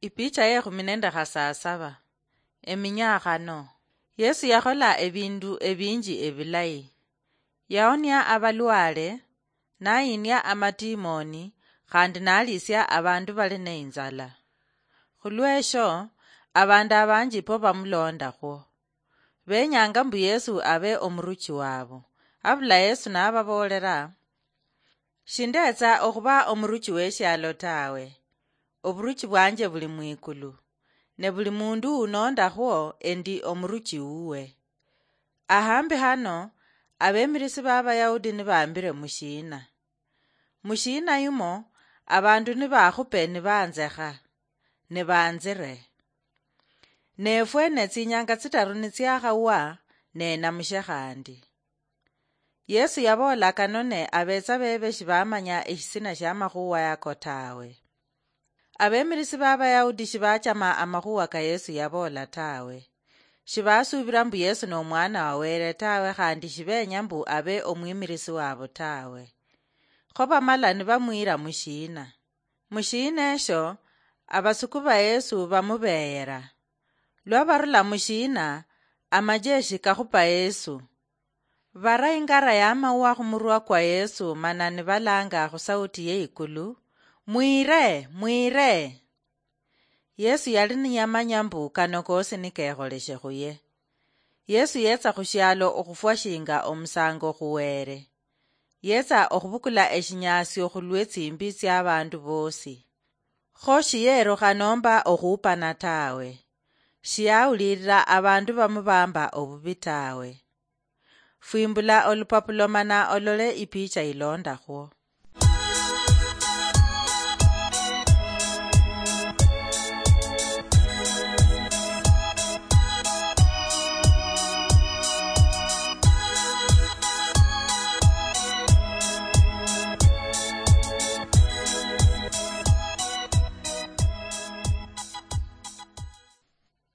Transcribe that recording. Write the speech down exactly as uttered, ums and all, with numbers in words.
Ipicha yekhumi nende khasasaba. Eminyakhano. Yesu yakhola ebindu ebinji ebilayi. Yaonia abalwale, nayinia amatimoni, khandi nalisia abandu bali neinzala. Khulwesho, abandu abanji po bamulondakhwo. Benyanga mbu Yesu abe omuruchi wabo. Abula Yesu nababoolera, "Shindetsa okhuba omuruchi weshialo tawe. Oburuchi bwanje buli mwikulu, ne buli mundu unondakhwo endi omuruchi wuwe." Ahambi hano, abemirisi b'Abayahudi nibambire mushiina. Mushiina yumo, abandu nibakhupe nibanzekha, nibanzire. Nefwe ne tsinyanga tsitaru nitsiakhawa, nenamushe khandi. Yesu yaboola kano ne abetsa bebe shibamanya eshisina shiamakhuwa yako tawe. Abemirisi b'Abayahudi shibachama amakhuwa ka Yesu yaboola tawe. Shibasuubira mbu Yesu n'omwana wa Wele tawe, khandi shibenya mbu abe omwimirisi wabo tawe. Kho bamala nibamwira mushiina. Mushiina esho, abasuku ba Yesu bamubeyera. Lwa barula mushiina, amajeshi kakhupa Yesu. Bara ingara yamauwa khumurwa kwa Yesu, mana nibalanga khusauti yeikulu, "Mwire! Mwire!" Yesu yali niyamanya mbu kano kosi nikekholeshe khuye. Yesu yetsa khushialo okhufwa shinga omusango khuwere. Yetsa okhubukula eshinyasio khulwetsimbi tsiabandu bosi. Kho shiyerukha nomba okhuupana tawe. Shiyawulirira abandu bamubamba obubi tawe. Fwimbula olupapula mana olole ipicha ilondakhwo.